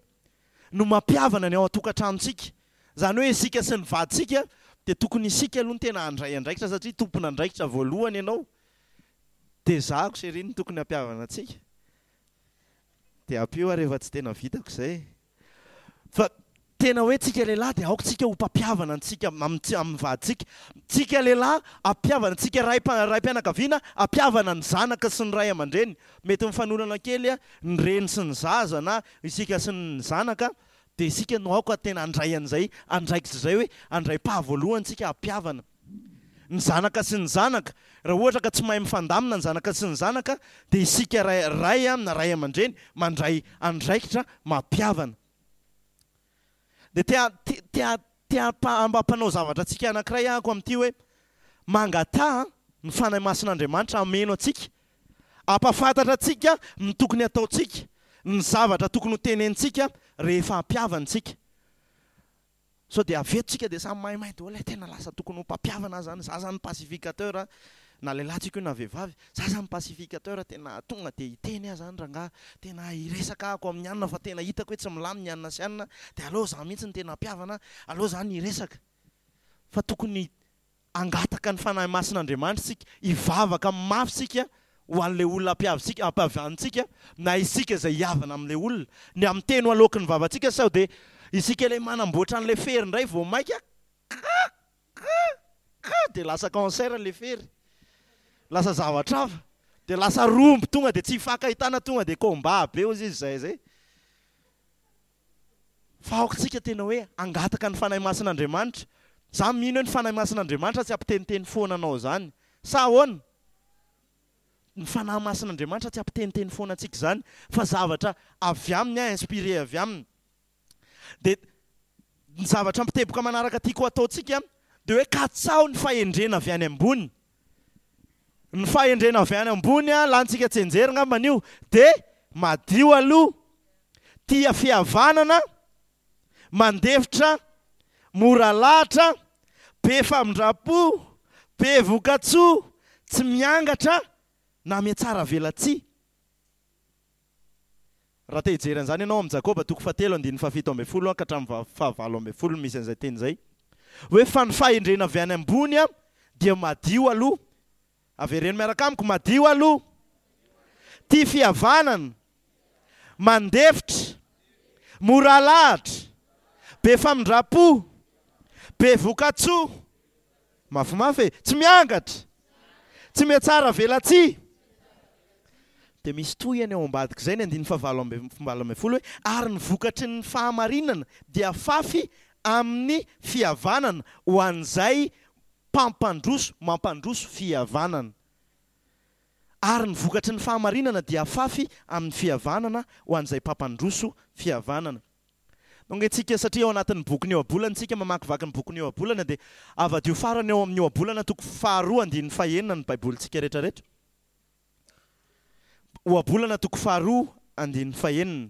no mampihavana ny ao an-tokantranontsika. Izany hoe isika sy ny vadintsika dia tokony isika aloha no tena handray andraikitra satria tompon'andraikitra voalohany ianao. Dia zahako chérie no tokony hampihavana antsika. Dia ampio aho rehefa tsy tena vitako izay. Fa tena hoe tsika lehilahy dia aoka tsika ho mpampihavana antsika amin'ny amin'ny vadintsika. Tsika lehilahy hampihavana, tsika ray raim-pianakaviana hampihavana ny zanaka sy ny ray aman-dreny. Mety mifanolana kely ny reny sy ny zaza na isika sy ny zanaka, dia isika no aoka tena handray an'izay andraikitra izay hoe handray pas voalohany tsika hampihavana ny zanaka sy ny zanaka. Raha ohatra ka tsy mahay mifandamina ny zanaka sy ny zanaka dia isika ray ray na ray aman-dreny mandray andraikitra mampihavana. Dia te te te te hampanao zavatra antsika anankiray ahako amin'ity hoe mangataha ny Fanahy Masin'Andriamanitra hameno antsika, hampahafantatra antsika ny tokony hataontsika, ny zavatra tokony ho tenenintsika rehefa hampihavana isika. Sao dia avy eto tsika dia samy maimay daholo, tena lasa tokony ho mpampihavana aho zany, za zany pacificateur, na lehilahy tsika io na vehivavy, za zany pacificateur, tena tonga dia hiteny aho zany rangahy, tena hiresaka ahako amin'ny anona fa tena hitako hoe tsy milamina i anona sy anona, dia aleo za mihitsy no tena hampihavana, aleo za ny hiresaka. Fa tokony hangataka ny Fanahy Masin'Andriamanitra isika, hivavaka mafy isika ho an'ilay olona ampihavintsika, ampihavantsika, na isika izay hihavana amin'ilay olona. Ny amin'ny teny ho aloaky ny vavantsika sao dia isika ilay manamboatra an'ilay fery indray vao mainka ka ka ka dia lasa cancer ilay fery. Lasa zavatra hafa. Dia lasa rombo tonga dia tsy hifankahitana tonga dia combat be hozy izy izay izay. Fa aoka tsika tena hoe hangataka ny Fanahy Masin'Andriamanitra. Za mino hoe ny Fanahy Masin'Andriamanitra tsy hampiteniteny foana anao izany. Sa ahoana? Ny Fanahy Masin'Andriamanitra tsy hampiteniteny foana antsika izany, fa zavatra avy aminy, inspiré avy aminy. Dia ny zavatra mpiteboka manaraka tiako hataontsika dia hoe katsaho ny fahendrena avy any ambony. Ny fahendrena avy any ambony, lanintsika tsianjery angambany io, dia madio aloha, tia fihavanana, mandefitra, mora lahatra, Be famindram-po, be vokatsoa, tsy miangatra na mihatsara velatsihy. Raha te hijery an'izany ianao, amin'ny Jakoba toko fahatelo andininy fahafito ambin'ny folo ka hatramin'ny fahavalo ambin'ny folo misy an'izay teny izay. Hoe fa ny fahendrena avy any ambony dia madio aloha. Avereno miaraka amiko, madio aloha. Tia fihavanana, mandefitra, mora alahatra, be famindram-po, be vokatsoa, mafimafy e, tsy miangatra, tsy mihatsara velatsihy. Dia misy tohiny ao ambadik'izay ny andininy fahavalo amby valo ambin'ny folo hoe ary ny vokatry ny fahamarinana dia fafy amin'ny fihavanana ho an'izay mpampandroso, mampandroso fihavanana. Ary ny vokatry ny fahamarinana dia fafy amin'ny fihavanana ho an'izay mpampandroso fihavanana. Donc isika satria ao anatin'ny bokin'ny Ohabolana isika mamakivaky ny bokin'ny Ohabolana dia avadio farany ao amin'ny Ohabolana toko faharoa andininy fahenina ny Baibolintsika rehetrarehetra. Ohabolana toko faharoa andininy fahenina.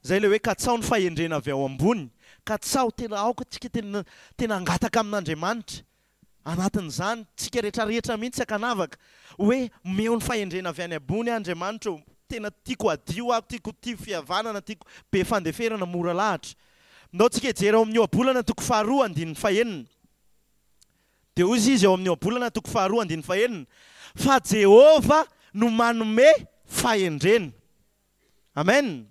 Zay le hoe katsao ny fahendrena avy ao ambony. Katsao tena aoka tsika tena tena angataka amin'Andriamanitra. Anatin'izany tsika rehetrarehetra mihitsy ankanavaka hoe meo ny fahendrena avy any ambony Andriamanitra ô. Tena tiako hadio aho, tiako tia fihavanana, tiako be fandeferana, mora lahatra. Ndao tsika hijery ao amin'ny Ohabolana toko faharoa andininy fahenina. Dia hoy izy ao amin'ny Ohabolana toko faharoa andininy fahenina, fa Jehovah no manome fahendrena. Amen.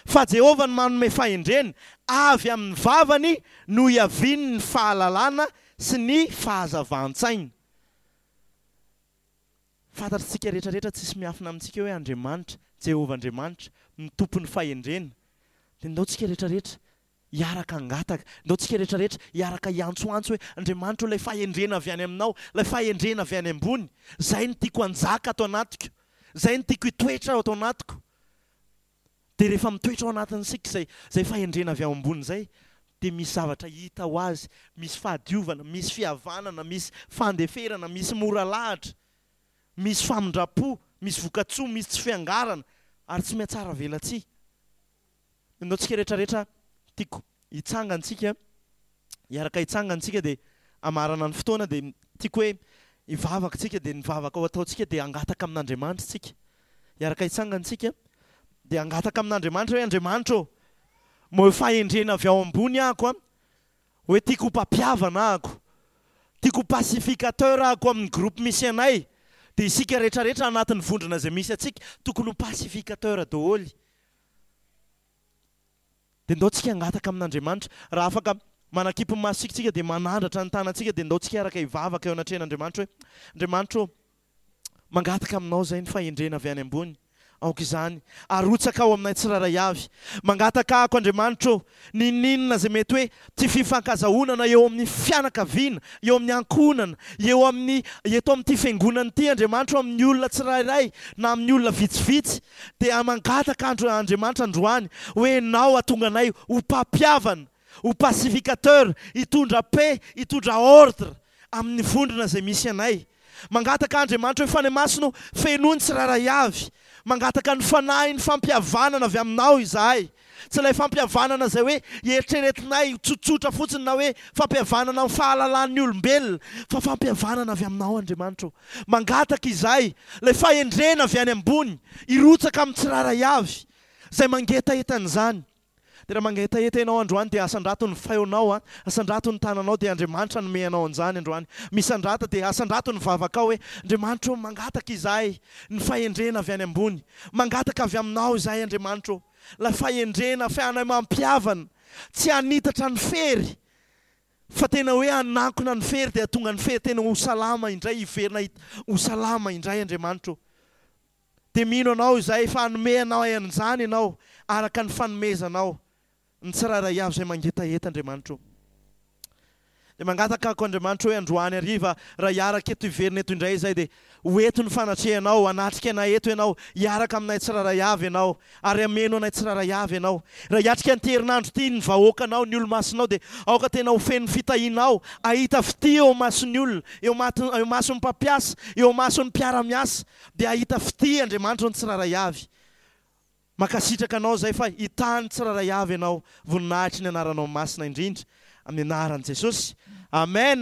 Fa Jehovah no manome fahendrena, avy amin'ny vavany no iavian'ny fahalalana sy ny fahazavan-tsaina. Fantatritsika rehetrarehetra, tsisy miafina amintsika hoe Andriamanitra, Jehovah Andriamanitra, ny tompon'ny fahendrena. Dia ndao tsika rehetrarehetra hiaraka angataka, ndao tsika rehetrarehetra hiaraka hiantsoantso hoe Andriamanitra ilay fahendrena avy any aminao, ilay fahendrena avy any ambony, zay no tiako hanjaka ato anatiko, zay no tiako hitoetra ato anatiko. Dia rehefa mitoetra ao anatin'isika izay izay fahendrena avy ao ambony izay, dia misy zavatra hita ho azy, misy fahadiovana, misy fihavanana, misy fandeferana, misy mora lahatra, misy famindram-po, misy vokatsoa, misy tsy fiangarana, ary tsy mihatsara velatsihy. Ndao tsika rehetrarehetra tiako hitsangantsika, hiaraka hitsangantsika dia hamarana ny fotoana dia tiako hoe hivavaka tsika dia ny vavaka ho ataontsika dia hangataka amin'Andriamanitra tsika. Hiaraka hitsangantsika dia hangataka amin'Andriamanitra hoe Andriamanitra ô, moa fahendrena avy ao ambony ahako a, hoe tiako ho mpampihavana ahako, tiako ho pacificateur ahako amin'ny groupe misy anay. Dia isika rehetrarehetra anatin'ny vondrona izay misy antsika tokony ho pacificateur daholo. Dia ndao tsika hangataka amin'Andriamanitra. Raha afaka manakipy ny masontsika tsika dia manandratra ny tanantsika dia ndao tsika hiaraka hivavaka eo anatrehan'Andriamanitra hoe Andriamanitra ô, mangataka aminao izay ny fahendrena avy any ambony. Aoka izany arotsaka ao aminay tsirairay avy. Mangataka ahako Andriamanitra ô, nininona izay mety hoe tsy fifankazahoana eo amin'ny fianakaviana, eo amin'ny ankohonana, eo amin'ny eto amin'ity fiangonana ity Andriamanitra amin'ny olona tsirairay na amin'ny olona vitsivitsy, dia mangataka andro Andriamanitra androany hoe ianao hatonga anay ho mpampihavana, ho pacificateur, hitondra paix, hitondra ordre amin'ny vondrona izay misy anay. Mangataka Andriamanitra hoe Fanahy Masina fenoy ny tsirairay avy. Mangataka ny fanahy ny fampihavanana avy aminao izahay. Tsy ilay fampihavanana izay hoe eritreretinay tsotsotra fotsiny na hoe fampihavanana amin'ny fahalalan'ny olombelona, fa fampihavanana avy aminao Andriamanitra. Mangataka izahay ilay fahendrena avy any ambony hirotsaka amin'ny tsirairay avy izay mangetaheta an'izany. Dia raha mangetaheta ianao androany dia asandrato ny feonao, asandrato ny tananao dia Andriamanitra nome anao an'izany androany. Misandrata dia asandrato ny vavakao hoe Andriamanitra ô, mangataka izahay ny fahendrena avy any ambony. Mangataka avy aminao izahay Andriamanitra ô. Ilay fahendrena ahafahanay mampihavana, tsy hanitatra ny fery, fa tena hoe hanankona ny fery dia tonga ny fery tena ho salama indray, hiverina ho salama indray Andriamanitra ô. Dia mino anao izahay fa hanome anao an'izany ianao araka ny fanomezanao ny tsirairay avy izay mangetaheta Andriamanitra ô. Dia mangataka ako Andriamanitra hoe androany hariva raha hiaraka eto hiverina eto indray izay dia ho eto ny fanatrehanao, hanatrika anay eto ianao, hiaraka aminay tsirairay avy ianao ary hameno anay tsirairay avy ianao. Raha hiatrika an'ity herinandro ity ny vahoakanao, ny olo-masinao dia aoka tena ho feno fitahianao, hahita fitia eo mason'ny olona, eo mato- eo mason'ny mpampiasa, eo mason'ny mpiara-miasa, dia hahita fitia Andriamanitra ny tsirairay avy. Mankasitraka anao izay fa hitany tsirairay avy ianao, voninahitry ny anaranao masina indrindra. Amin'ny anaran'i Jesosy. Amen.